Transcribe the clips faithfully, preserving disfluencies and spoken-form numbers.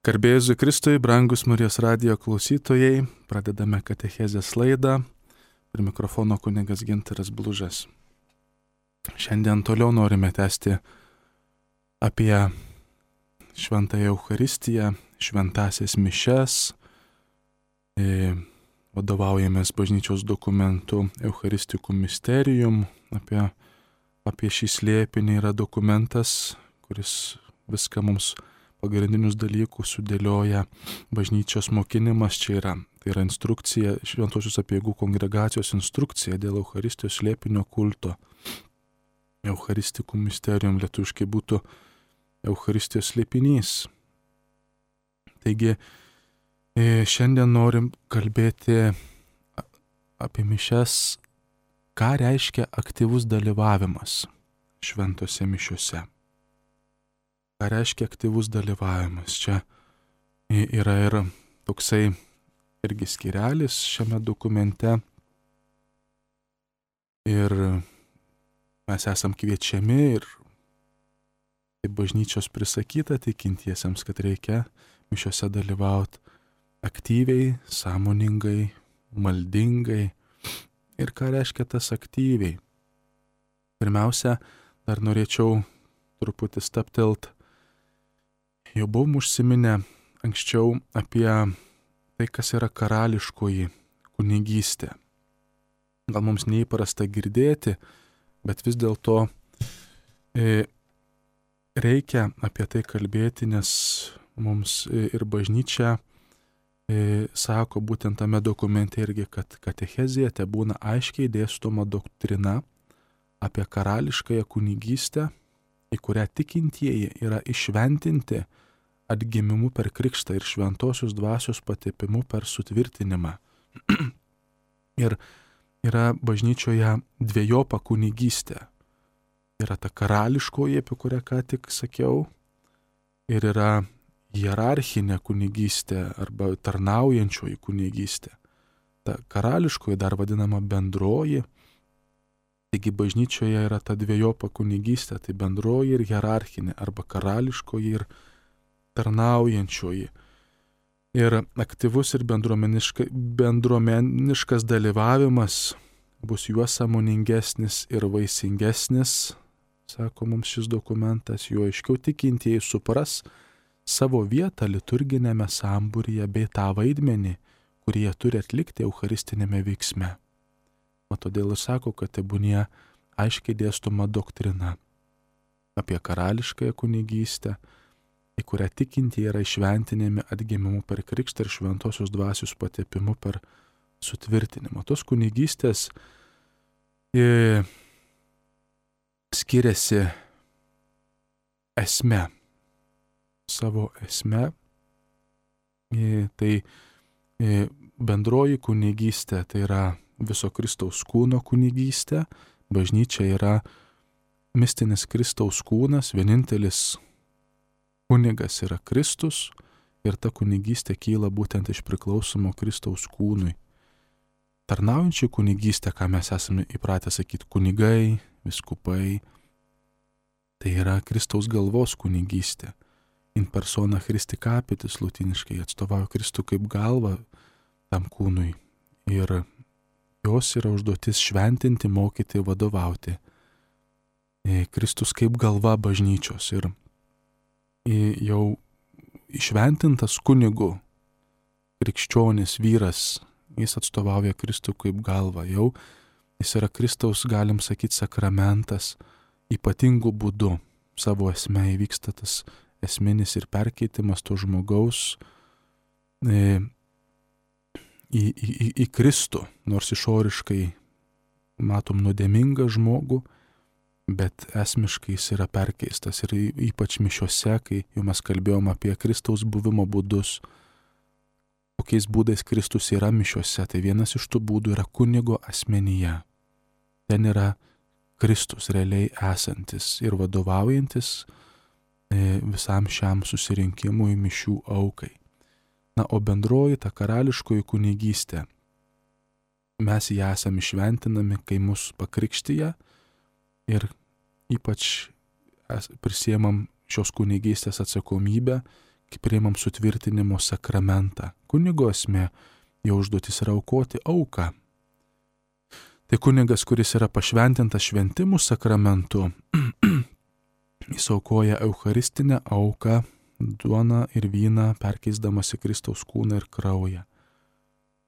Garbė Jėzui Kristui, brangus Marijos radijo klausytojai, pradedame katechezės laidą. Prie mikrofono kunigas Gintaras Blužas. Šiandien toliau norime tęsti apie šventąją Eucharistiją, šventąsias mišias. E, vadovaujamės bažnyčios dokumentu Eucharisticum Mysterium. Apie, apie šį slėpinį yra dokumentas, kuris viską mums pagrindinius dalykus sudėlioja. Bažnyčios mokinimas čia yra. Tai yra instrukcija, Šventosios Apieigų kongregacijos instrukcija dėl Eucharistijos slėpinio kulto. Eucharisticum Mysterium lietuviškai būtų Eucharistijos slėpinys. Taigi, šiandien norim kalbėti apie mišias, ką reiškia aktyvus dalyvavimas šventose mišiuose. Ką reiškia aktyvus dalyvavimas? Čia yra ir toksai irgi skyrelis šiame dokumente. Ir mes esam kviečiami ir kaip bažnyčios prisakyta tikintiesiems, kad reikia mišiuose dalyvauti aktyviai, sąmoningai, maldingai. Ir ką reiškia tas aktyviai? Pirmiausia, dar norėčiau truputį staptelt. Jau buvom užsiminę anksčiau apie tai, kas yra karališkoji kunigystė. Gal mums neįprasta girdėti, bet vis dėlto e, reikia apie tai kalbėti, nes mums ir bažnyčia e, sako būtent tame dokumente irgi, kad katechezėje te būna aiškiai dėstoma doktrina apie karališkąją kunigystę, į kurią tikintieji yra išventinti atgimimu per krikštą ir šventosios dvasios patepimu per sutvirtinimą. Ir yra bažnyčioje dvejopa kunigystė. Yra ta karališkoji, apie kurią ką tik sakiau, ir yra hierarchinė kunigystė arba tarnaujančioji kunigystė. Ta karališkoji dar vadinama bendroji. Taigi bažnyčioje yra ta dvejopa kunigystė, tai bendroji ir hierarchinė, arba karališkoji ir tarnaujančioji. Ir aktyvus ir bendruomeniška, bendruomeniškas dalyvavimas bus juo sąmoningesnis ir vaisingesnis, sako mums šis dokumentas, juo aiškiau tikintieji supras savo vietą liturginėme sambūryje bei tą vaidmenį, kurį jie turi atlikti eucharistinėme veiksme. O todėl ir sako, kad tebūnie aiškiai dėstoma doktrina apie karališkąją kunigystę, į kurią tikintieji yra išventinami atgimimu per krikštą ir šventosios dvasios patepimu per sutvirtinimą. Tos kunigystės e, skiriasi esme, savo esme. E, tai e, bendroji kunigystė, tai yra viso Kristaus kūno kunigystė. Bažnyčia yra mistinis Kristaus kūnas, vienintelis kunigas yra Kristus ir ta kunigystė kyla būtent iš priklausomo Kristaus kūnui. Tarnaujančių kunigystė, ką mes esame įpratę sakyti kunigai, viskupai, tai yra Kristaus galvos kunigystė. In persona Christi capitis lotyniškai atstovauja Kristų kaip galvą tam kūnui ir jos yra užduotis šventinti, mokyti, vadovauti. Kristus kaip galva bažnyčios ir jau išventintas kunigu, krikščionis vyras, jis atstovauja Kristų kaip galva. Jau jis yra Kristaus, galim sakyti, sakramentas, ypatingų būdų. Savo esme įvyksta tas esminis ir perkeitimas to žmogaus e, Į, į, į Kristų, nors išoriškai matom nuodėmingą žmogų, bet esmiškai jis yra perkeistas ir ypač mišiuose, kai jau mes kalbėjom apie Kristaus buvimo būdus, kokiais būdais Kristus yra mišiuose, tai vienas iš tų būdų yra kunigo asmenyje. Ten yra Kristus realiai esantis ir vadovaujantis visam šiam susirinkimui mišių aukai. Na, o bendroji ta karališkoji kunigystė, mes ją esame išventinami, kai mus pakrikštyje ir ypač prisiemam šios kunigystės atsakomybę, kai priimam sutvirtinimo sakramentą. Kunigo esmė, jo užduotis yra aukoti auką. Tai kunigas, kuris yra pašventintas šventimų sakramentu, jis aukoja eucharistinę auką, duoną ir vyną, perkeisdamas į Kristaus kūną ir kraują.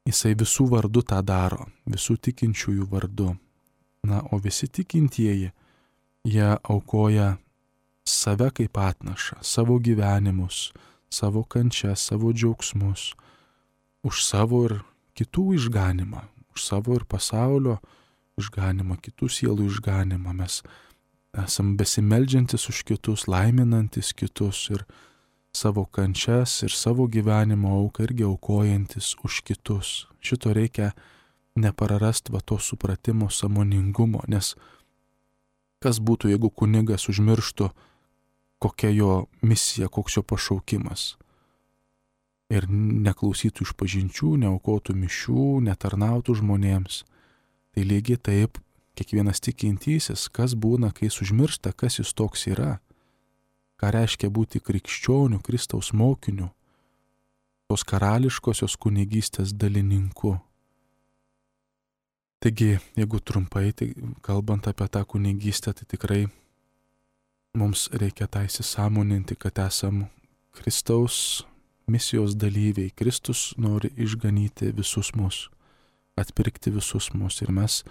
Jisai visų vardu tą daro, visų tikinčiųjų vardu. Na, o visi tikintieji, jie aukoja save kaip atnašą, savo gyvenimus, savo kančias, savo džiaugsmus, už savo ir kitų išganimą, už savo ir pasaulio išganimą, kitų sielų išganimą. Mes esam besimeldžiantis už kitus, laiminantis kitus ir savo kančias ir savo gyvenimo auką irgi aukojantis už kitus. Šito reikia neprarast va to supratimo, sąmoningumo, nes kas būtų, jeigu kunigas užmirštų, kokia jo misija, koks jo pašaukimas. Ir neklausytų išpažinčių, neaukotų mišių, netarnautų žmonėms. Tai lygiai taip, kiekvienas tikintysis, kas būna, kai jis užmiršta, kas jis toks yra, ką reiškia būti krikščioniu, Kristaus mokiniu, tos karališkosios kunigystės dalininku. Taigi, jeigu trumpai, tai kalbant apie tą kunigystę, tai tikrai mums reikia tą įsisąmoninti, kad esam Kristaus misijos dalyviai. Kristus nori išganyti visus mus, atpirkti visus mus ir mes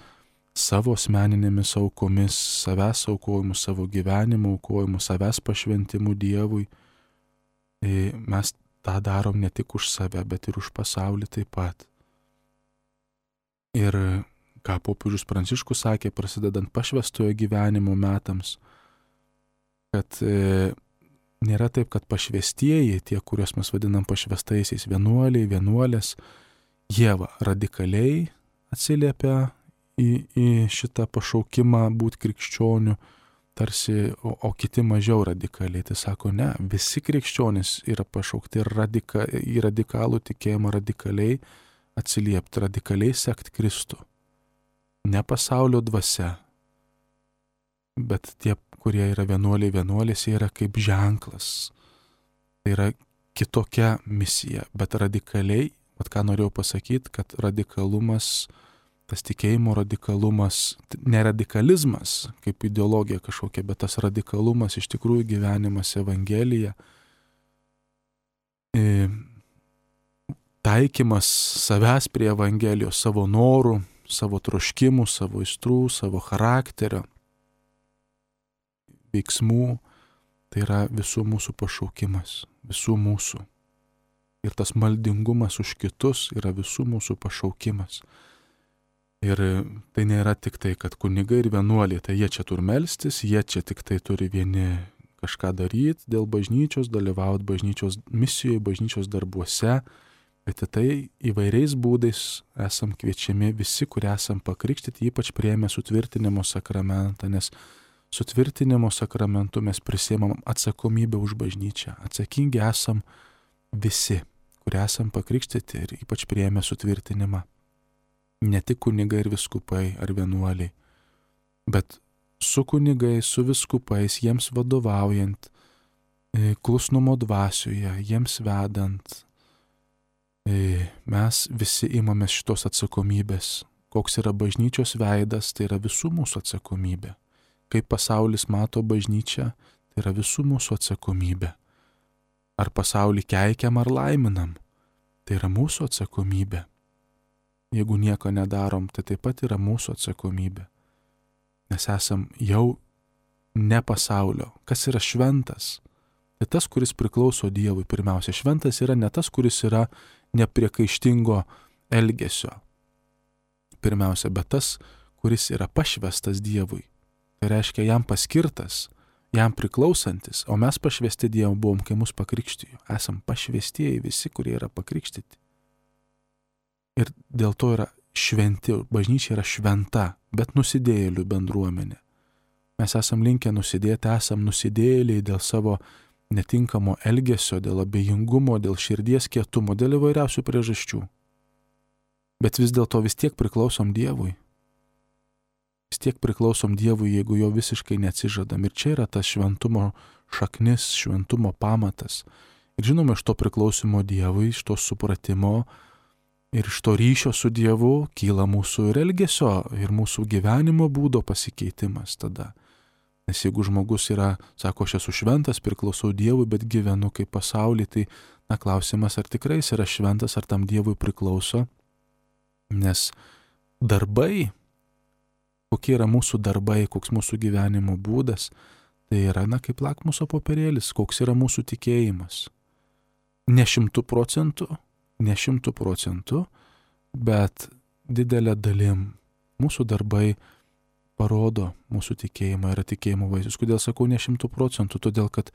savo asmeninėmis aukomis, savęs aukojimu, savo gyvenimo aukojimu, savęs pašventimu Dievui, mes tą darom ne tik už save, bet ir už pasaulį taip pat. Ir ką popiežius Pranciškus sakė, prasidedant pašvestojo gyvenimo metams, kad e, nėra taip, kad pašvestieji, tie, kuriuos mes vadinam pašvestaisiais, vienuoliai, vienuolės, jie va, radikaliai atsiliepia į, į šitą pašaukimą būti krikščioniu, tarsi, o, o kiti mažiau radikaliai. Tai sako, ne, visi krikščionys yra pašaukti radika, į radikalų tikėjimą radikaliai atsiliepti, radikaliai sekti Kristų. Ne pasaulio dvasia, bet tie, kurie yra vienuoliai, vienuolės, jie yra kaip ženklas. Tai yra kitokia misija, bet radikaliai, vat ką norėjau pasakyti, kad radikalumas, tas tikėjimo radikalumas, ne radikalizmas kaip ideologija kažkokia, bet tas radikalumas iš tikrųjų gyvenimas Evangelija, taikymas savęs prie Evangelijos, savo norų, savo troškimų, savo aistrų, savo charakterio, veiksmų, tai yra visų mūsų pašaukimas, visų mūsų. Ir tas maldingumas už kitus yra visų mūsų pašaukimas. Ir tai nėra tik tai, kad kunigai ir vienuoliai, tai jie čia turi melstis, jie čia tik tai turi vieni kažką daryti dėl bažnyčios, dalyvauti bažnyčios misijoje, bažnyčios darbuose, bet tai įvairiais būdais esam kviečiami visi, kurie esam pakrikštyti, ypač priėmę sutvirtinimo sakramentą, nes sutvirtinimo sakramentu mes prisiimam atsakomybę už bažnyčią. Atsakingi esam visi, kurie esam pakrikštyti ir ypač priėmę sutvirtinimą. Ne tik kunigai ir viskupai ar vienuoliai, bet su kunigais, su viskupais, jiems vadovaujant, klusnumo dvasioje, jiems vedant, mes visi imamės šitos atsakomybės. Koks yra bažnyčios veidas, tai yra visų mūsų atsakomybė. Kaip pasaulis mato bažnyčią, tai yra visų mūsų atsakomybė. Ar pasaulį keikiam ar laiminam, tai yra mūsų atsakomybė. Jeigu nieko nedarom, tai taip pat yra mūsų atsakomybė. Nes esam jau ne pasaulio. Kas yra šventas? Tai tas, kuris priklauso Dievui pirmiausia. Šventas yra ne tas, kuris yra nepriekaištingo elgesio. Pirmiausia, bet tas, kuris yra pašvestas Dievui. Tai reiškia jam paskirtas, jam priklausantis, o mes pašvesti Dievu buvom, kai mus pakrikštijo. Esam pašvestieji visi, kurie yra pakrikštyti. Ir dėl to yra šventi, bažnyčia yra šventa, bet nusidėjėlių bendruomenė. Mes esam linkę nusidėti, esam nusidėjėliai dėl savo netinkamo elgesio, dėl abejingumo, dėl širdies kietumo, dėl įvairiausių priežasčių. Bet vis dėlto vis tiek priklausom Dievui. Vis tiek priklausom Dievui, jeigu jo visiškai neatsižadam. Ir čia yra tas šventumo šaknis, šventumo pamatas. Ir žinoma, iš to priklausimo Dievui, iš to supratimo ir iš to ryšio su Dievu kyla mūsų ir elgesio, ir mūsų gyvenimo būdo pasikeitimas tada. Nes jeigu žmogus yra, sako, aš esu šventas, priklausau Dievui, bet gyvenu kaip pasaulį, tai, na, klausimas, ar tikrai jis yra šventas, ar tam Dievui priklauso. Nes darbai, kokie yra mūsų darbai, koks mūsų gyvenimo būdas, tai yra, na, kaip lakmuso popierėlis, koks yra mūsų tikėjimas. Ne šimtų procentų, ne šimtų procentų, bet didelė dalim mūsų darbai parodo mūsų tikėjimą, yra tikėjimo vaisius. Kodėl sakau ne šimtų procentų? Todėl, kad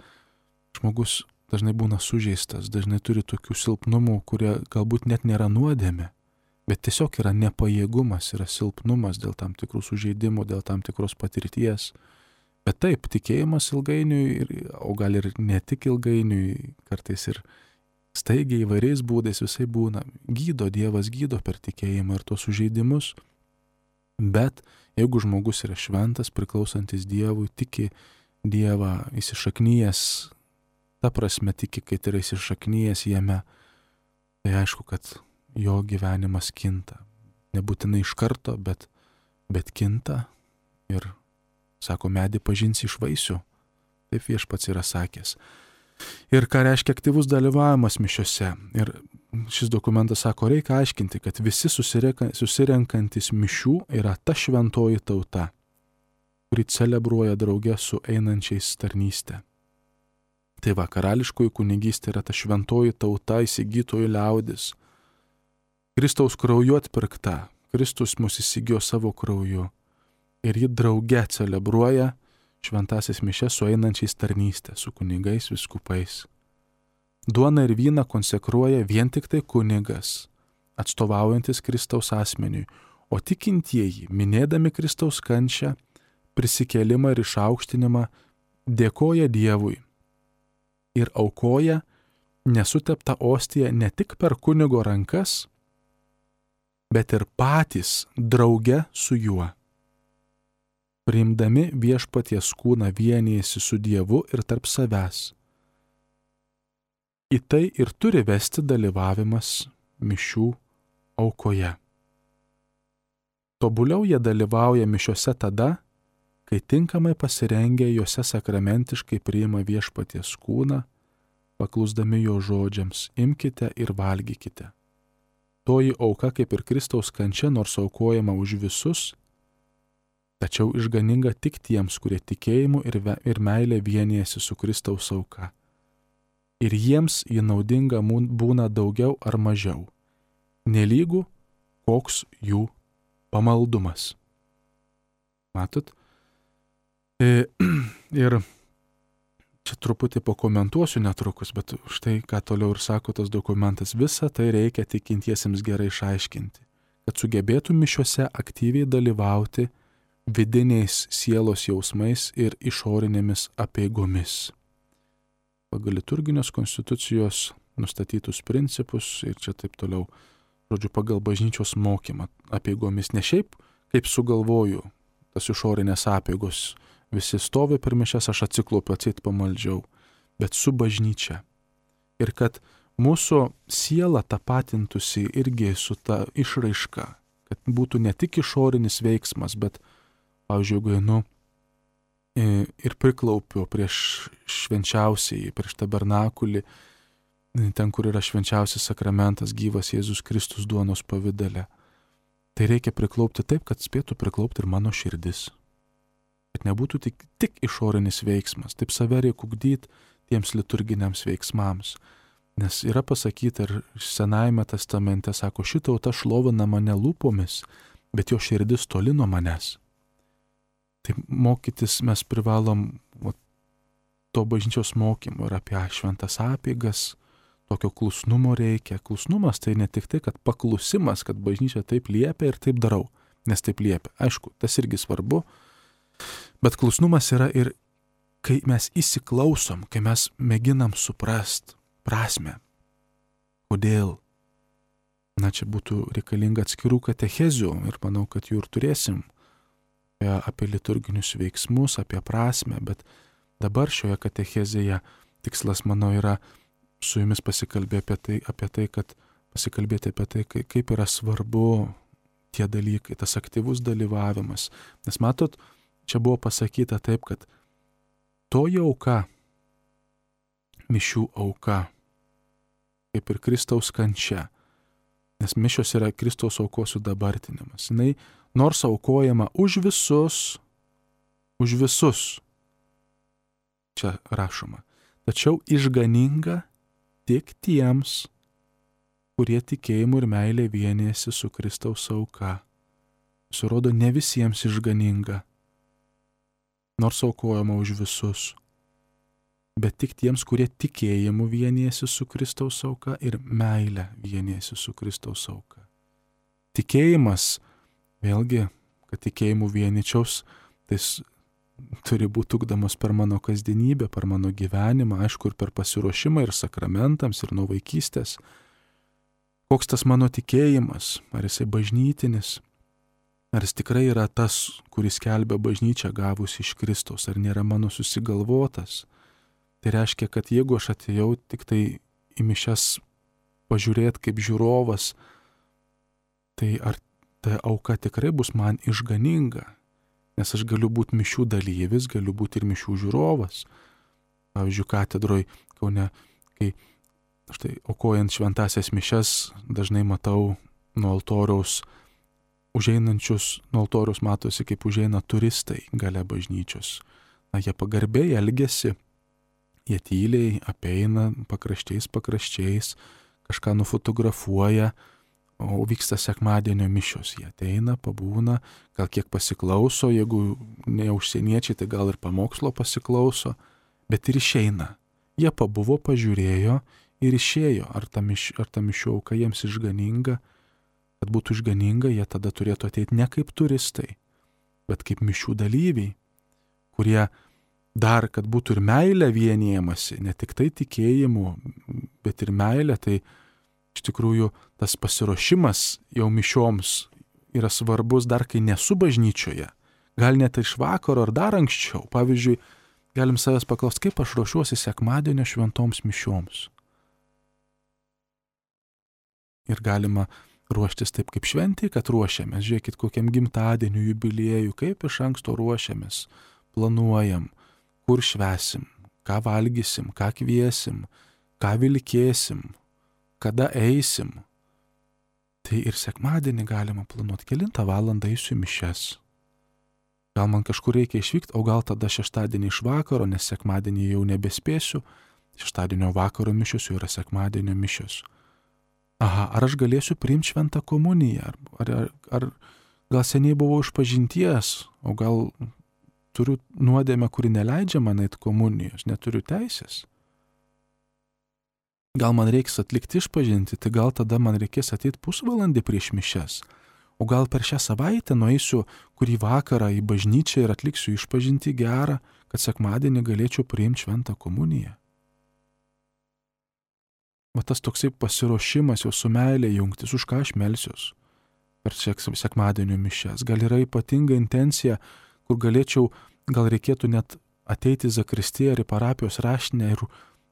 žmogus dažnai būna sužeistas, dažnai turi tokių silpnumų, kurie galbūt net nėra nuodėmė, bet tiesiog yra nepajėgumas, yra silpnumas dėl tam tikrų sužeidimų, dėl tam tikros patirties. Bet taip, tikėjimas ilgainiui, o gal ir ne tik ilgainiui, kartais ir staigiai įvairiais būdais visai būna. Gydo, Dievas gydo per tikėjimą ir tos sužeidimus, bet jeigu žmogus yra šventas, priklausantis Dievui, tiki Dievą, įsišaknyjęs, ta prasme tiki, kad yra įsišaknyjęs jame, tai aišku, kad jo gyvenimas kinta. Nebūtinai iš karto, bet, bet kinta ir, sako, medį pažinsi iš vaisių. Taip Viešpats yra sakęs. Ir ką reiškia aktyvus dalyvavimas mišiose. Ir šis dokumentas sako, reikia aiškinti, kad visi susirenkantis mišių yra ta šventoji tauta, kuri celebruoja drauge su einančiais tarnystę. Tai va, karališkoji kunigystė yra ta šventoji tauta, įsigytojų liaudis. Kristaus krauju atpirkta. Kristus mus įsigijo savo krauju. Ir ji drauge celebruoja šventasis mišes su einančiais tarnystę, su kunigais, vyskupais. Duoną ir vyną konsekruoja vien tik tai kunigas, atstovaujantis Kristaus asmeniui, o tikintieji, minėdami Kristaus kančią, prisikėlimą ir išaukštinimą, dėkoja Dievui ir aukoja nesuteptą ostiją ne tik per kunigo rankas, bet ir patys drauge su juo. Priimdami Viešpaties kūną vienijasi su Dievu ir tarp savęs. Į tai ir turi vesti dalyvavimas mišių aukoje. Tobuliau jie dalyvauja mišiose tada, kai tinkamai pasirengę juose sakramentiškai priima Viešpaties kūną, paklusdami jo žodžiams, imkite ir valgykite. Toji auka kaip ir Kristaus kančia, nors aukojama už visus, tačiau išganinga tik tiems, kurie tikėjimu ir, ve, ir meilė vienijasi su Kristaus auka. Ir jiems ji naudinga būna daugiau ar mažiau, nelygų koks jų pamaldumas. Matot? E, ir čia truputį pakomentuosiu netrukus, bet štai ką toliau ir sako tas dokumentas, visą tai reikia tikintiesiems gerai išaiškinti, kad sugebėtų mišiuose aktyviai dalyvauti vidiniais sielos jausmais ir išorinėmis apeigomis. Pagal liturginės konstitucijos nustatytus principus ir čia taip toliau, žodžiu, pagal bažnyčios mokymą apeigomis, ne šiaip kaip sugalvoju, tas išorinės apeigos, visi stovi per mišias, aš atsiklopiu, atseit pamaldžiau, bet su bažnyčia. Ir kad mūsų siela tapatintųsi irgi su ta išraiška, kad būtų ne tik išorinis veiksmas, bet pavyzdžiui, jeigu einu ir priklaupiu prieš švenčiausiai, prieš tabernakulį, ten, kur yra švenčiausias sakramentas, gyvas Jėzus Kristus duonos pavidale, tai reikia priklaupti taip, kad spėtų priklaupti ir mano širdis. Kad nebūtų tik, tik išorinis veiksmas, taip save reikia ugdyti tiems liturginiams veiksmams. Nes yra pasakyta ir Senajame testamente, sako, ši tauta šlovina mane lūpomis, bet jo širdis toli nuo manęs. Tai mokytis mes privalom va, to bažnyčios mokymo ir apie šventas apeigas, tokio klusnumo reikia. Klusnumas tai ne tik tai, kad paklusimas, kad bažnyčia taip liepia ir taip darau, nes taip liepia. Aišku, tas irgi svarbu, bet klusnumas yra ir kai mes įsiklausom, kai mes mėginam suprast prasme, kodėl. Na, čia būtų reikalinga atskirų katechezių ir manau, kad jų ir turėsim apie liturginius veiksmus, apie prasme, bet dabar šioje katechezėje tikslas, manau, yra su jumis pasikalbėti apie tai, apie tai kad pasikalbėti apie tai, kaip yra svarbu tie dalykai, tas aktyvus dalyvavimas. Nes matot, čia buvo pasakyta taip, kad toji auka, mišių auka, kaip ir Kristaus kančia, nes mišios yra Kristaus aukos sudabartinimas. Jinai nors aukojama už visus, už visus, čia rašoma, tačiau išganinga tik tiems, kurie tikėjimu ir meilė vienijasi su Kristaus auka. Surodo, ne visiems išganinga, nors aukojama už visus, bet tik tiems, kurie tikėjimu vienijasi su Kristaus auka ir meilė vienijasi su Kristaus auka. Tikėjimas, vėlgi, kad tikėjimu vieničiaus, tai turi būti ugdomas per mano kasdienybę, per mano gyvenimą, aišku, ir per pasiruošimą ir sakramentams, ir nuo vaikystės. Koks tas mano tikėjimas, ar jisai bažnytinis, ar jis tikrai yra tas, kuris skelbia bažnyčią gavus iš Kristaus, ar nėra mano susigalvotas. Tai reiškia, kad jeigu aš atėjau tik tai į mišias pažiūrėti kaip žiūrovas, tai ar ta auka tikrai bus man išganinga, nes aš galiu būti mišių dalyvis, galiu būti ir mišių žiūrovas. Pavyzdžiui, katedroj Kaune, kai štai aukojant šventasias mišias, dažnai matau nuo altoriaus užeinančius, nuo altoriaus matosi, kaip užeina turistai gale bažnyčios. Na, jie pagarbiai elgiasi, jie tyliai apeina pakraščiais, pakraščiais, kažką nufotografuoja, o vyksta sekmadienio mišios. Jie ateina, pabūna, gal kiek pasiklauso, jeigu ne užsieniečiai, tai gal ir pamokslo pasiklauso, bet ir išeina. Jie pabuvo, pažiūrėjo ir išėjo. Ar ta, miš, ar ta mišių auka jiems išganinga? Kad būtų išganinga, jie tada turėtų ateiti ne kaip turistai, bet kaip mišių dalyviai, kurie dar, kad būtų ir meilė vienijamasi, ne tik tai tikėjimu, bet ir meilė, tai iš tikrųjų tas pasiruošimas jau mišioms yra svarbus dar, kai nesu bažnyčioje. Gal net iš vakaro ar dar anksčiau. Pavyzdžiui, galim savęs paklausti, kaip aš ruošiuosi sekmadienio šventoms mišioms. Ir galima ruoštis taip kaip šventį, kad ruošiamės. Žiūrėkit, kokiam gimtadieniu, jubiliejui, kaip iš anksto ruošiamės, planuojam, kur švesim, ką valgysim, ką kviesim, ką vilkėsim, kada eisim. Tai ir sekmadienį galima planuoti, kelintą valandą eisiu į mišias. Gal man kažkur reikia išvykti, o gal tada šeštadienį iš vakaro, nes sekmadienį jau nebespėsiu, šeštadienio vakaro mišios jau yra sekmadienio mišios. Aha, ar aš galėsiu priimti šventą komuniją, ar, ar, ar, ar gal seniai buvau išpažinties, o gal turiu nuodėmę, kuri neleidžia man eiti komunijos, neturiu teisės. Gal man reiks atlikti išpažinti, tai gal tada man reikės ateiti pusvalandį prieš mišias. O gal per šią savaitę nueisiu kurį vakarą į bažnyčią ir atliksiu išpažinti gerą, kad sekmadienį galėčiau priimti šventą komuniją. Va tas toksai pasiruošimas jau su meilė jungtis, už ką aš melsiuos per sekmadienio mišias. Gal yra ypatinga intencija, kur galėčiau, gal reikėtų net ateiti į zakristiją ar į parapijos raštinę ir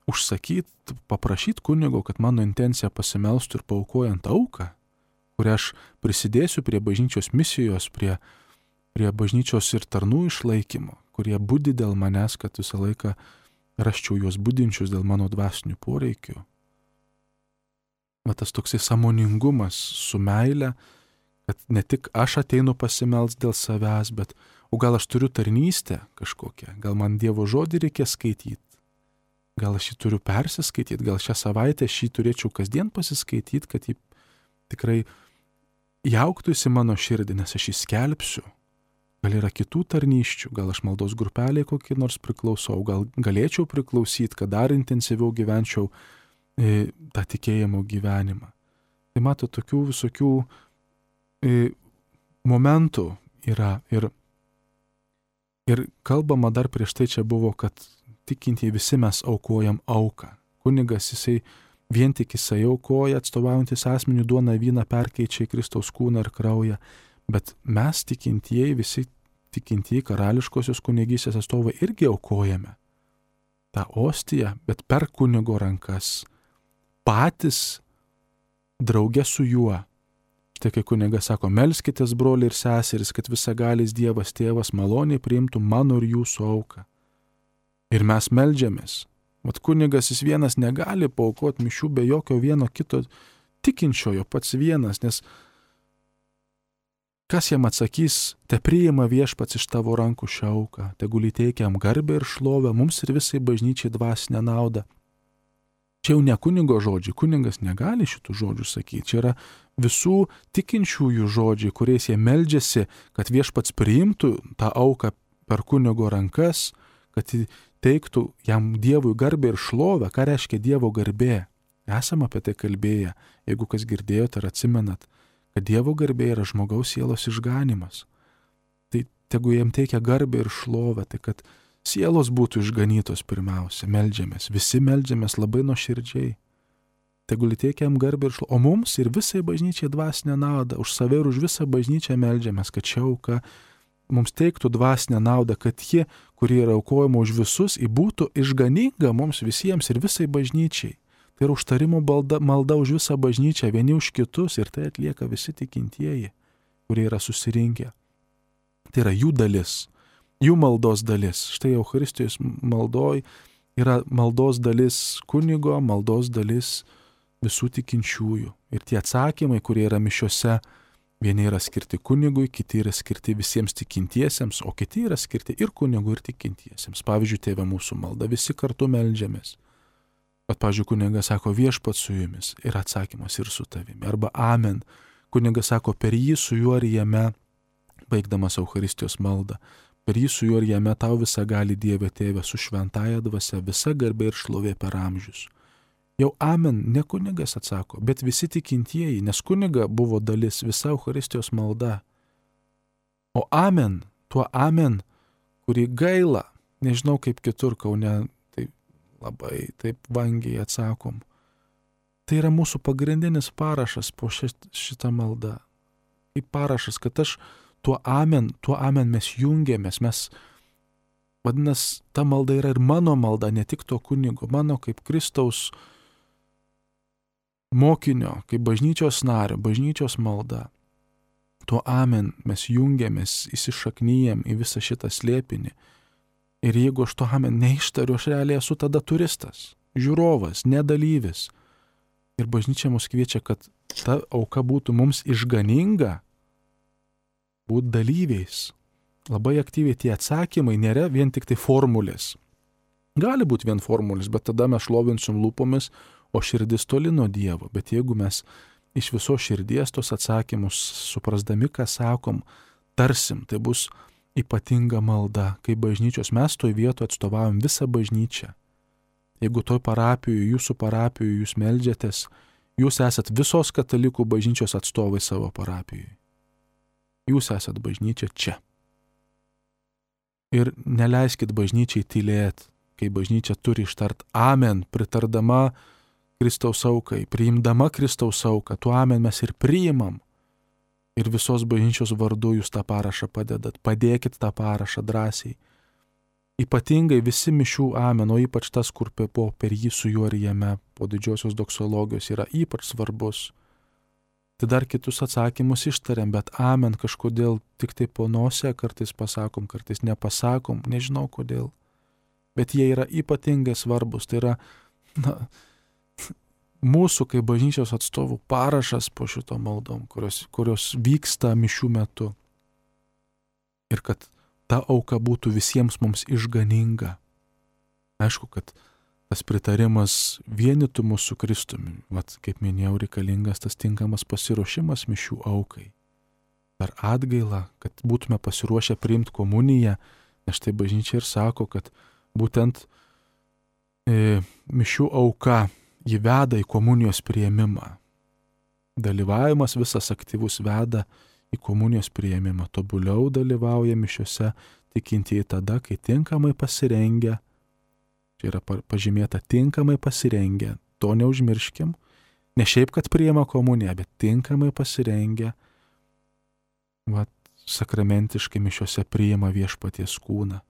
užsakyti, paprašyti kunigo, kad mano intencija pasimelstų ir paaukojant auką, kurią aš prisidėsiu prie bažnyčios misijos, prie, prie bažnyčios ir tarnų išlaikymo, kurie budi dėl manęs, kad visą laiką raščiau juos budinčius dėl mano dvasinių poreikių. Va tas toksai sąmoningumas su meile, kad ne tik aš ateinu pasimels dėl savęs, bet o gal aš turiu tarnystę kažkokią, gal man Dievo žodį reikia skaityti, gal aš jį turiu persiskaityti, gal šią savaitę šį turėčiau kasdien pasiskaityti, kad jį tikrai jauktųsi mano širdį, nes aš jį skelbsiu. Gal yra kitų tarnyščių, gal aš maldos grupeliai kokį nors priklausau, gal galėčiau priklausyti, kad dar intensyviau gyvenčiau e, tą tikėjimo gyvenimą. Tai mato, tokių visokių e, momentų yra ir, ir kalbama dar prieš tai čia buvo, kad tikintieji visi mes aukojam auką. Kunigas jisai vien tik jisai aukoja, atstovaujantis asmenių duoną vyną perkeičia į Kristaus kūną ir kraują, bet mes tikintieji, visi tikintieji karališkosios kunigystės atstovai irgi aukojame tą ostiją, bet per kunigo rankas, patys draugė su juo. Štai kai kunigas sako, melskitės broliai ir seserys, kad visagalis Dievas tėvas maloniai priimtų mano ir jūsų auką. Ir mes meldžiamės. Vat kunigas jis vienas negali paaukoti mišių be jokio vieno kito tikinčiojo, pats vienas, nes kas jam atsakys, te priima viešpats iš tavo rankų šią auką, tegul įteikia jam garbę ir šlovę, mums ir visai bažnyčiai dvasinę naudą. Čia jau ne kunigo žodžiai, kunigas negali šitų žodžių sakyti, čia yra visų tikinčiųjų žodžiai, kuriais jie meldžiasi, kad viešpats priimtų tą auką per kunigo rankas, kad teiktų jam Dievui garbę ir šlovę. Ką reiškia Dievo garbė? Esam apie tai kalbėję, jeigu kas girdėjote ar atsimenat, kad Dievo garbė yra žmogaus sielos išganimas. Tai tegu jam teikia garbę ir šlovę, tai kad sielos būtų išganytos pirmiausia, meldžiamės, visi meldžiamės labai nuoširdžiai. Tegul teikia jam garbę ir šlovę, o mums ir visai bažnyčiai dvasinę naudą, už save ir už visą bažnyčią meldžiamės, kad ši auka mums teiktų dvasinę naudą, kad ji, kuri yra aukojama už visus, būtų išganinga mums visiems ir visai bažnyčiai. Tai yra užtarimo malda, malda už visą bažnyčią, vieni už kitus, ir tai atlieka visi tikintieji, kurie yra susirinkę. Tai yra jų dalis, jų maldos dalis. Štai Eucharistijos maldoj yra maldos dalis kunigo, maldos dalis visų tikinčiųjų. Ir tie atsakymai, kurie yra mišiose, vieni yra skirti kunigui, kiti yra skirti visiems tikintiesiems, o kiti yra skirti ir kunigui, ir tikintiesiems. Pavyzdžiui, Tėve mūsų malda, visi kartu meldžiamės. Bet, pavyzdžiui, kunigas sako, viešpats su jumis, ir atsakymas ir su tavimi. Arba amen. Kunigas sako, per jį su juo ir jame, baigdamas Eucharistijos maldą, per jį su juo ir jame tau visą gali Dieve Tėve su šventąja dvasia, visa garbė ir šlovė per amžius. Jau amen, ne kunigas atsako, bet visi tikintieji, nes kuniga buvo dalis visa Eucharistijos malda. O amen, tuo amen, kurį gaila, nežinau kaip kitur Kaune, labai taip vangiai atsakom. Tai yra mūsų pagrindinis parašas po šitą maldą. Kaip parašas, kad aš tuo amen, tuo amen mes jungiamės, mes, vadinasi, ta malda yra ir mano malda, ne tik to kunigo, mano kaip Kristaus mokinio, kaip bažnyčios nario, bažnyčios malda. Tuo amen mes jungiamės, įsišaknyjam į visą šitą slėpinį. Ir jeigu aš to amen neištariu, aš realiai esu tada turistas, žiūrovas, nedalyvis. Ir bažnyčia mus kviečia, kad ta auka būtų mums išganinga, būti dalyviais. Labai aktyviai tie atsakymai nėra vien tik tai formulės. Gali būti vien formulės, bet tada mes šlovinsim lūpomis, o širdis toli nuo Dievo. Bet jeigu mes iš viso širdies tos atsakymus, suprasdami, ką sakom, tarsim, tai bus ypatinga malda, kai bažnyčios mes toj vietoje atstovavom visą bažnyčią. Jeigu toj parapijoje, jūsų parapijoje jūs meldžiatės, jūs esat visos katalikų bažnyčios atstovai savo parapijoje. Jūs esat bažnyčia čia. Ir neleiskit bažnyčiai tylėti, kai bažnyčia turi ištart amen, pritardama Kristaus aukai, priimdama Kristaus auką, tuo amen mes ir priimam. Ir visos bažnyčios vardu jūs tą parašą padedat. Padėkit tą parašą drąsiai. Ypatingai visi mišių amen, o ypač tas, kur po per jį su juo ir jame, po didžiosios doksologijos yra ypač svarbus. Tai dar kitus atsakymus ištariam, bet amen kažkodėl tik tai po nosę kartais pasakom, kartais nepasakom, nežinau kodėl. Bet jie yra ypatingai svarbus. Tai yra, na, mūsų kaip bažnyčios atstovų parašas po šito maldom, kurios, kurios vyksta mišių metu. Ir kad ta auka būtų visiems mums išganinga. Aišku, kad tas pritarimas vienytų mus su Kristumi. Vat, kaip minėjau, reikalingas tas tinkamas pasiruošimas mišių aukai. Per atgailą, kad būtume pasiruošę priimti komuniją, nes tai bažnyčia ir sako, kad būtent e, mišių auka jį veda į komunijos priėmimą. Dalyvavimas visas aktyvus veda į komunijos priėmimą. Tobuliau dalyvauja mišiuose tikintieji tada, kai tinkamai pasirengia. Čia yra pažymėta tinkamai pasirengia. To neužmirškim. Ne šiaip, kad priėma komuniją, bet tinkamai pasirengia. Vat, sakramentiškai mišiuose priima viešpaties kūną.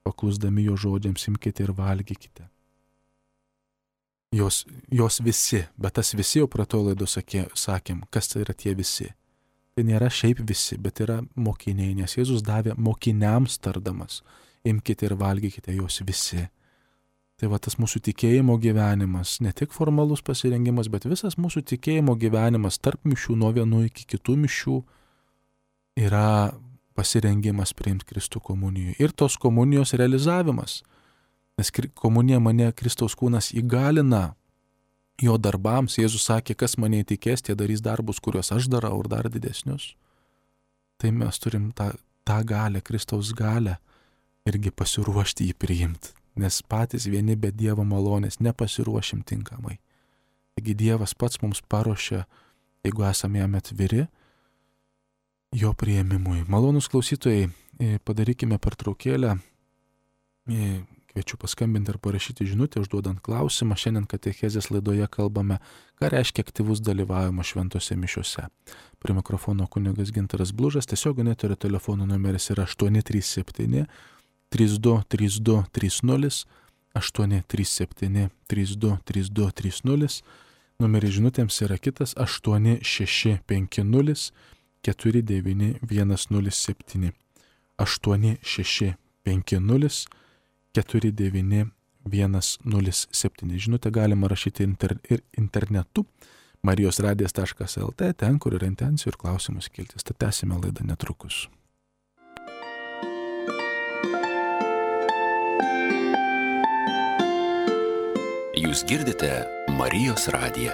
Paklusdami jo žodžiams imkite ir valgykite. jos, jos visi, bet tas visi jau prato laido sakė, sakėm, kas tai yra tie visi. Tai nėra šiaip visi, bet yra mokiniai, nes Jėzus davė mokiniams tardamas, imkite ir valgykite jos visi. Tai va tas mūsų tikėjimo gyvenimas, ne tik formalus pasirengimas, bet visas mūsų tikėjimo gyvenimas tarp mišių nuo vienų iki kitų mišių yra pasirengimas priimti Kristų komunijoje ir tos komunijos realizavimas. Nes komunija mane Kristaus kūnas įgalina jo darbams. Jėzus sakė, kas mane įtikės, tie darys darbus, kuriuos aš darau ir dar didesnius. Tai mes turim tą, tą galę, Kristaus galę irgi pasiruošti jį priimti. Nes patys vieni be Dievo malonės nepasiruošim tinkamai. Taigi Dievas pats mums paruošia, jeigu esame jam atviri, jo priėmimui. Malonus klausytojai, padarykime pertraukėlę. Kviečiu paskambinti ar parašyti žinutę, užduodant klausimą. Šiandien katechezės laidoje kalbame, ką reiškia aktyvus dalyvavimas šventose mišiose. Prie mikrofono kunigas Gintaras Blužas, tiesioginio eterio telefono numeris yra aštuoni trys septyni trys du trys du trys nulis, aštuoni trys septyni trys du trys du trys nulis. Numeris žinutėms yra kitas aštuoni šeši penki nulis keturi devyni vienas nulis septyni. aštuoni šeši penki nulis keturi devyni vienas nulis septyni. Žinutę galima rašyti inter, ir internetu marijos radijas taškas el tė, ten, kur yra intencijų ir klausimus kiltis. Tad tęsime laidą netrukus. Jūs girdite Marijos radiją.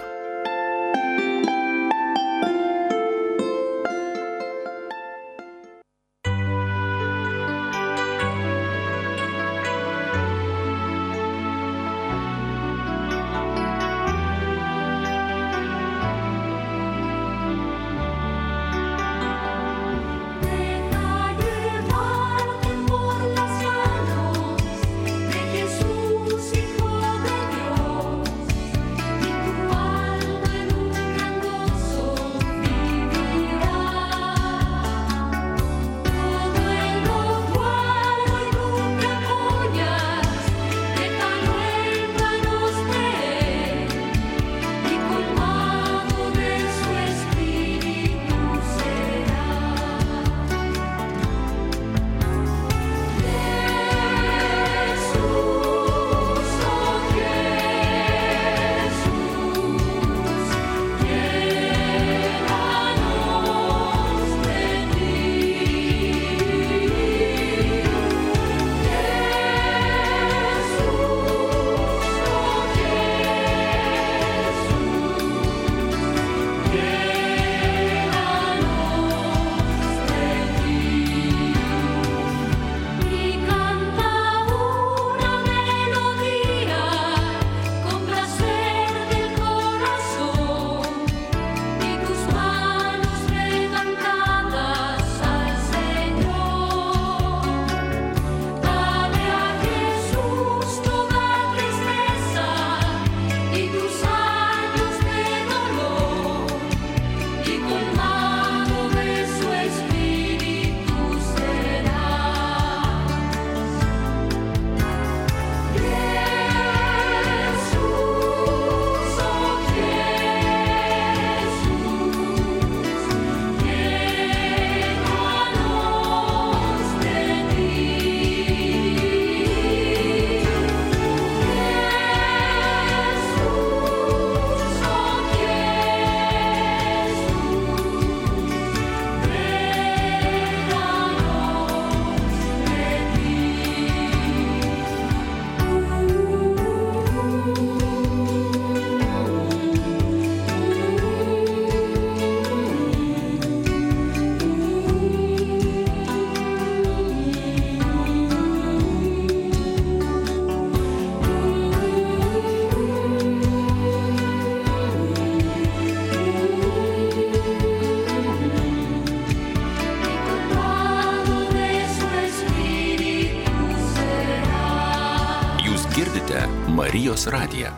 Marijos radiją.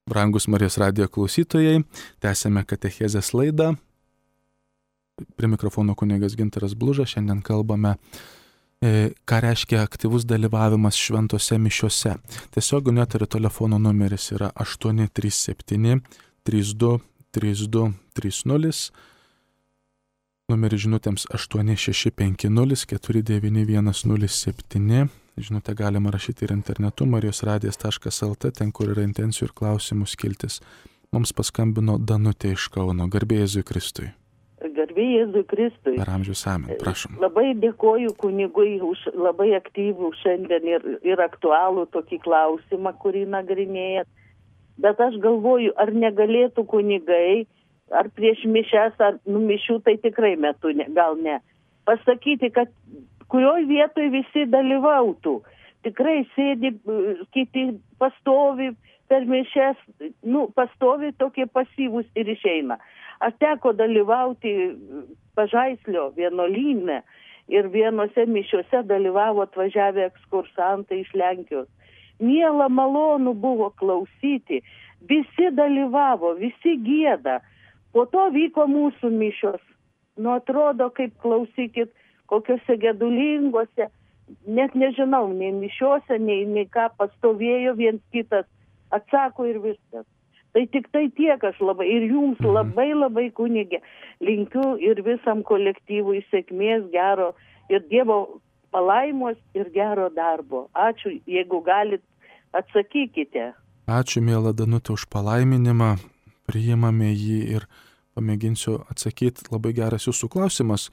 Brangus Marijos radijo klausytojai, tęsėme katechezės laidą. Prie mikrofono kunigas Gintaras Blužas. Šiandien kalbame ką reiškia aktyvus dalyvavimas šventose mišiose. Tiesioginio eterio telefono numeris yra aštuoni trys septyni trys du trys du trys nulis. Numeris žinutėms aštuoni šeši penki nulis keturi devyni vienas nulis septyni. Žinutę galima rašyti ir internetu marijos radijas taškas el tė, ten kur yra intencijų ir klausimų skiltis. Mums paskambino Danutė iš Kauno. Garbė Jėzui Kristui. Garbė Jėzui Kristui. Per amžius amen, prašom. Labai dėkoju kunigui už labai aktyvų šiandien ir, ir aktualų tokį klausimą, kurį nagrinėjat. Bet aš galvoju, ar negalėtų kunigai, ar prieš mišes, ar nu, mišių, tai tikrai metu, ne, gal ne, pasakyti, kad kurioj vietoj visi dalyvautų. Tikrai sėdi, kiti pastovi per mišes, nu, pastovi tokie pasyvūs ir išeina. Aš teko dalyvauti Pažaislio vienuolyne ir vienose mišiuose dalyvavo atvažiavę ekskursantai iš Lenkijos. Miela, malonu buvo klausyti, visi dalyvavo, visi gieda. Po to vyko mūsų mišios. Nu, atrodo, kaip klausykit, kokiuose gedulingose, net nežinau, nei mišiuose, nei, nei ką pastovėjo viens kitas, atsako ir viskas. Tai tik tai tiek aš labai, ir jums labai labai kunigė, linkiu ir visam kolektyvui sėkmės, gero ir Dievo palaimos ir gero darbo. Ačiū, jeigu galit, atsakykite. Ačiū, miela Danutė, už palaiminimą, priimame jį ir pamėginsiu atsakyti. Labai geras jūsų klausimas,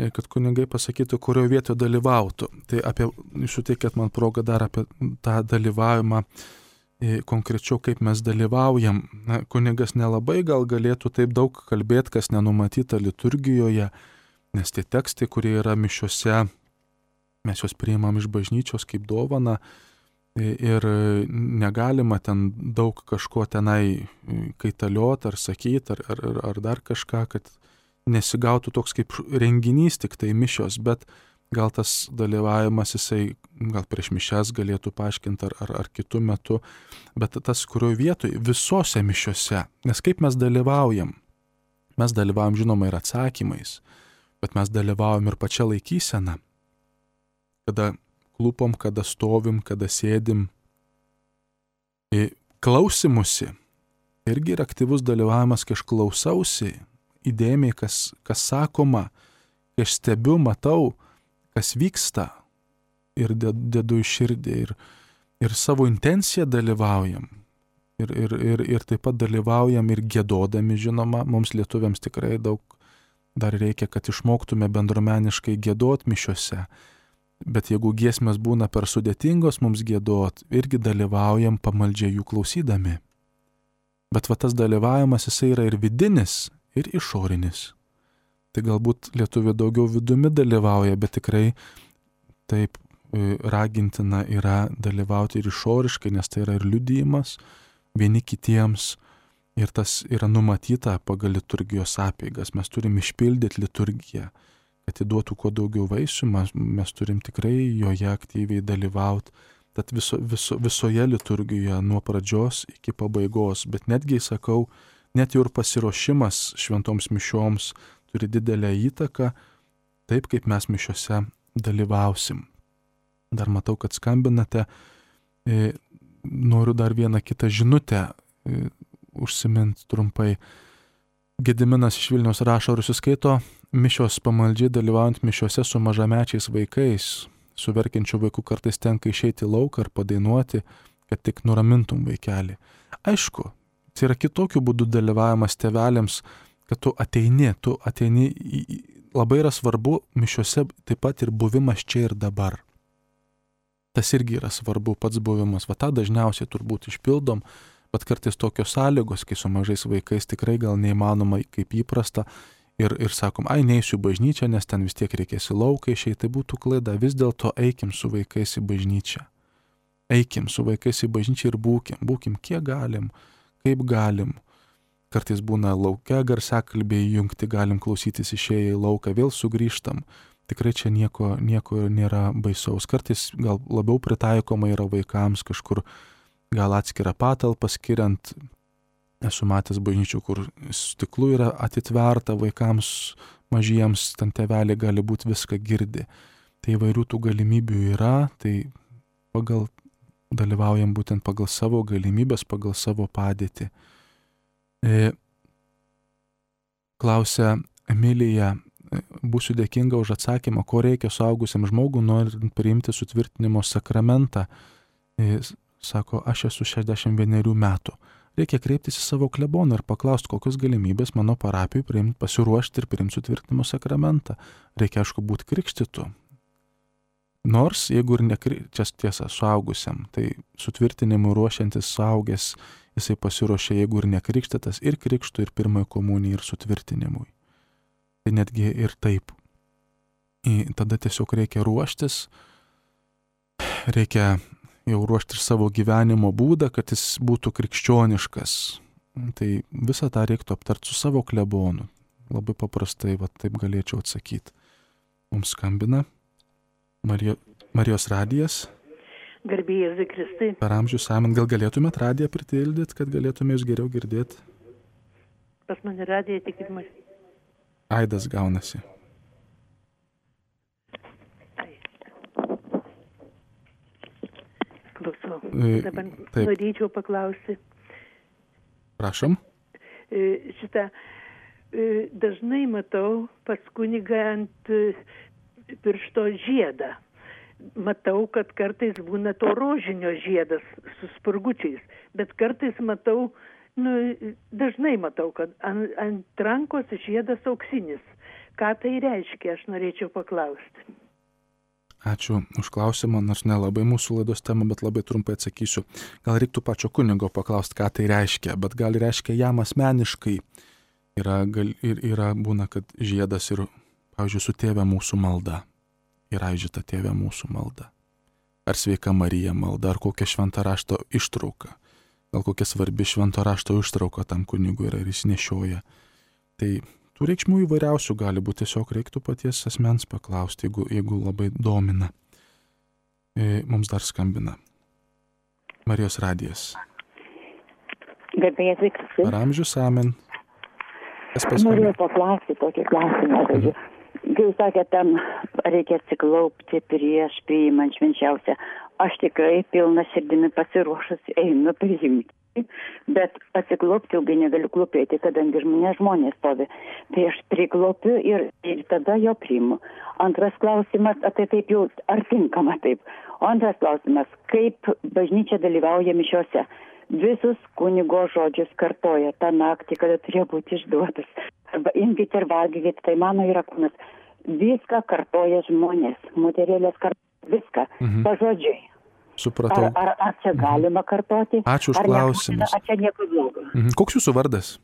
kad kunigai pasakytų, kurioje vietoje dalyvautų. Tai apie, suteikėt man progą dar apie tą dalyvavimą, konkrečiau kaip mes dalyvaujam. Na, kunigas nelabai gal galėtų taip daug kalbėti, kas nenumatyta liturgijoje, nes tie tekstai, kurie yra mišiuose, mes juos priimam iš bažnyčios kaip dovaną ir negalima ten daug kažko tenai kaitaliot ar sakyti ar, ar, ar dar kažką, kad nesigautų toks kaip renginys tik tai mišios, bet gal tas dalyvavimas jisai gal prieš mišias galėtų paaiškinti ar, ar, ar kitų metų, bet tas kurioje vietoje visose mišiose, nes kaip mes dalyvaujam, mes dalyvaujam žinoma ir atsakymais, bet mes dalyvaujam ir pačia laikysena, kada klūpom, kada stovim, kada sėdim. Klausimusi irgi yra aktyvus dalyvavimas, kai aš klausausi įdėmiai, kas, kas sakoma, kai aš stebiu, matau, kas vyksta ir dedu į širdį ir, ir savo intenciją dalyvaujam ir, ir, ir, ir taip pat dalyvaujam ir giedodami, žinoma, mums lietuviams tikrai daug dar reikia, kad išmoktume bendruomeniškai giedot mišiuose. Bet jeigu giesmės būna per sudėtingos mums giedot, irgi dalyvaujam pamaldžiai jų klausydami. Bet va tas dalyvavimas jisai yra ir vidinis, ir išorinis. Tai galbūt lietuvių daugiau vidumi dalyvauja, bet tikrai taip ragintina yra dalyvauti ir išoriškai, nes tai yra ir liudijimas vieni kitiems. Ir tas yra numatyta pagal liturgijos apeigas. Mes turim išpildyti liturgiją, kad įduotų kuo daugiau vaisių, mes, mes turim tikrai joje aktyviai dalyvauti. Tad viso, viso, visoje liturgijoje nuo pradžios iki pabaigos, bet netgi, sakau, net jau ir pasiruošimas šventoms mišioms turi didelę įtaką, taip kaip mes mišiose dalyvausim. Dar matau, kad skambinate. E, noriu dar vieną kitą žinutę e, užsiminti trumpai. Gediminas iš Vilniaus rašo, ar suskaito mišios pamaldžiai dalyvaujant mišiose su mažamečiais vaikais, su verkiančiu vaiku kartais tenka išeiti į lauką ar padainuoti, kad tik nuramintum vaikelį. Aišku, tai yra kitokių būdų dalyvavimas tėveliams, kad tu ateini, tu ateini, į, labai yra svarbu mišiuose taip pat ir buvimas čia ir dabar. Tas irgi yra svarbu, pats buvimas, va tą dažniausiai turbūt išpildom, bet kartais tokios sąlygos, kai su mažais vaikais tikrai gal neįmanoma kaip įprasta ir, ir sakom, ai neisiu į bažnyčią, nes ten vis tiek reikės į lauką išeiti, tai būtų klaida, vis dėlto eikim su vaikais į bažnyčią. Eikim su vaikais į bažnyčią ir būkim, būkim kiek galim, kaip galim. Kartais būna lauke garsiakalbiai jungti, galim klausytis išėję į lauką, vėl sugrįžtam. Tikrai čia nieko, nieko nėra baisaus. Kartais gal labiau pritaikoma yra vaikams kažkur, gal atskirą patalpą skiriant. Esu matęs bažnyčių, kur stiklu yra atitverta vaikams mažiems, ten tėveliai gali būti viską girdi. Tai įvairių tų galimybių yra, tai pagal, dalyvaujam būtent pagal savo galimybės, pagal savo padėtį. E, klausia Emilija, būsiu dėkinga už atsakymą, ko reikia suaugusiam žmogui, norint priimti sutvirtinimo sakramentą. E, sako, aš esu šešiasdešimt vienerių metų. Reikia kreiptis į savo kleboną ir paklausti, kokios galimybės mano parapijai priimti, pasiruošti ir priimti sutvirtinimo sakramentą. Reikia, aišku, būti krikštytu. Nors, jeigu ir nekri... čia tiesa, suaugusiam, tai sutvirtinimui ruošiantis suaugęs, jisai pasiruošia, jeigu ir nekrikštytas, ir krikštų, ir pirmojo komunijai, ir sutvirtinimui. Tai netgi ir taip. I, tada tiesiog reikia ruoštis, reikia jau ruošti ir savo gyvenimo būdą, kad jis būtų krikščioniškas. Tai visą tą reiktų aptarti su savo klebonu. Labai paprastai, va, taip galėčiau atsakyti. Mums skambina Marijo, Marijos radijas. Garbė Jėzui Kristui. Per amžius amen. Gal galėtumėt radiją pritildyti, kad galėtume jūs geriau girdėti? Pas mane radija tik ir man. Aidas gaunasi. Klausau. E, Dabar taip. norėčiau paklausti. Prašom. E, šitą e, dažnai matau pas kunigą ant e, piršto žiedą. Matau, kad kartais būna to rožinio žiedas su spurgučiais, bet kartais matau, nu, dažnai matau, kad ant, ant rankos žiedas auksinis. Ką tai reiškia, aš norėčiau paklausti. Ačiū už klausimą, nors nelabai mūsų laidos tema, bet labai trumpai atsakysiu. Gal reiktų pačio kunigo paklausti, ką tai reiškia, bet gal reiškia jam asmeniškai. Yra, gal, ir, yra būna, kad žiedas ir, pavyzdžiui, su tėve mūsų malda. Yra žita tėve mūsų malda. Ar sveika Marija malda, ar kokia švento rašto ištrauka. Gal kokia svarbi švento rašto ištrauka tam kunigui yra ir jis nešioja. Tai tų reikšmių įvairiausių gali būti, tiesiog reiktų paties asmens paklausti, jeigu, jeigu labai domina. E, mums dar skambina Marijos radijas. Garbėjas Kristus. Per amžius amen. Noriu paklausti tokį klausimą. Mhm. Kai jūs sakėte, tam reikia atsiklaupti prieš priimant švenčiausią. Aš tikrai pilna širdimi pasiruošus einu priimti, bet atsiklaupti ilgai negaliu klūpėti, kadangi žmonė žmonės stovi. Tai aš priklaupiu ir, ir tada jo priimu. Antras klausimas, tai taip jau, ar tinkama taip? O antras klausimas, kaip bažnyčia dalyvauja mišiose? Visus kunigo žodžius kartoja tą naktį, kada turėjo būti išduotas. Arba imkite ir valgykite, tai mano yra kūnas. Viską kartoja žmonės, moterėlės kartoja viską, mhm. pažodžiui. Supratau. Ar, ar, ar čia galima kartoti? Ačiū už ar klausimus. Ne, ar čia nieko blogo? Mhm. Koks jūsų vardas?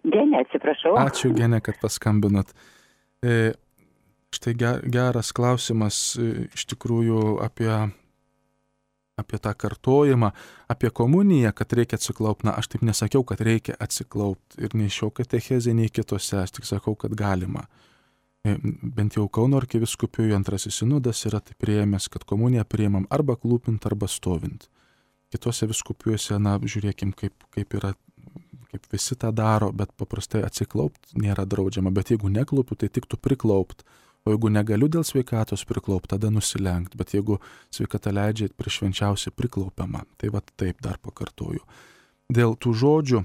Genė, atsiprašau. Ačiū, Genė, kad paskambinat. E, štai geras klausimas e, iš tikrųjų apie, apie tą kartojimą, apie komuniją, kad reikia atsiklaupti. Na, aš taip nesakiau, kad reikia atsiklaupti ir nei šio katechezė, nei kitose, aš tik sakau, kad galima. E, bent jau Kauno arkivyskupijoj antrasis sinodas yra taip priėmęs, kad komuniją priėmam arba klūpint, arba stovint. Kitose vyskupijose, na, žiūrėkim, kaip, kaip yra, kaip visi tą daro, bet paprastai atsiklaupti nėra draudžiama. Bet jeigu neklūpiu, tai tiktų priklaupt. O jeigu negaliu dėl sveikatos priklaupt, tada nusilenkt. Bet jeigu sveikata leidžia, prieš švenčiausiai priklaupiama. Tai va taip dar pakartoju. Dėl tų žodžių,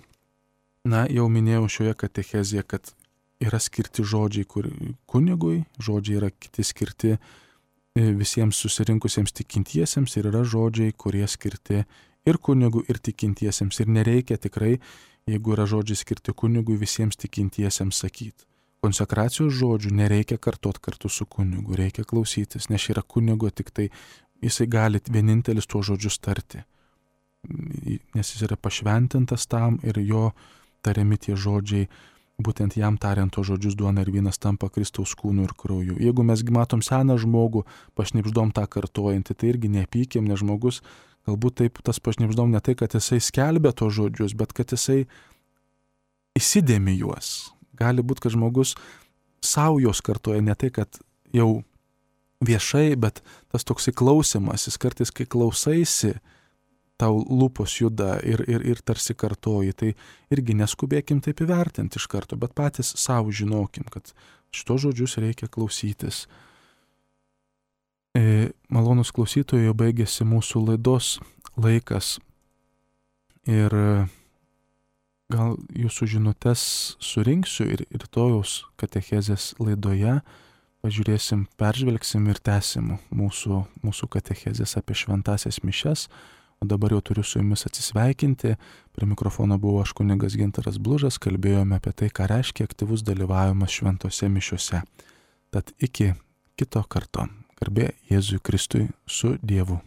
na, jau minėjau šioje katechezėje, kad yra skirti žodžiai kur, kunigui, žodžiai yra kiti skirti visiems susirinkusiems tikintiesiems ir yra žodžiai, kurie skirti ir kunigui, ir tikintiesiems. Ir nereikia tikrai, jeigu yra žodžiai skirti kunigui, visiems tikintiesiems sakyti. Konsekracijos žodžių nereikia kartot kartu su kunigu, reikia klausytis, nes yra kunigo tik tai, jisai gali vienintelis tuos žodžius tarti. Nes jis yra pašventintas tam ir jo tariami tie žodžiai, būtent jam tariant tos žodžius duona ir vynas tampa Kristaus kūnu ir krauju. Jeigu mes matom seną žmogų, pašnibždom tą kartojantį, tai irgi nepykim, nes žmogus galbūt taip tas pašnibždom ne tai, kad jisai skelbia tos žodžius, bet kad jisai įsidėmi juos. Gali būti, kad žmogus savo jos kartoja ne tai, kad jau viešai, bet tas toksai klausimas, jis kartais, kai klausaisi, tau lūpos juda ir, ir, ir tarsi kartoji, tai irgi neskubėkim taip įvertinti iš karto, bet patys savo žinokim, kad šitos žodžius reikia klausytis. Malonus klausytojai, jau baigėsi mūsų laidos laikas ir gal jūsų žinutes surinksiu ir rytojaus katechezės laidoje pažiūrėsim, peržvelgsim ir tęsim mūsų, mūsų katechezės apie šventasias mišias. O dabar jau turiu su jumis atsisveikinti. Prie mikrofono buvo aš kunigas Gintaras Blužas, kalbėjome apie tai, ką reiškia aktyvus dalyvavimas šventose mišiuose. Tad iki kito karto. Garbė Jėzui Kristui su Dievu.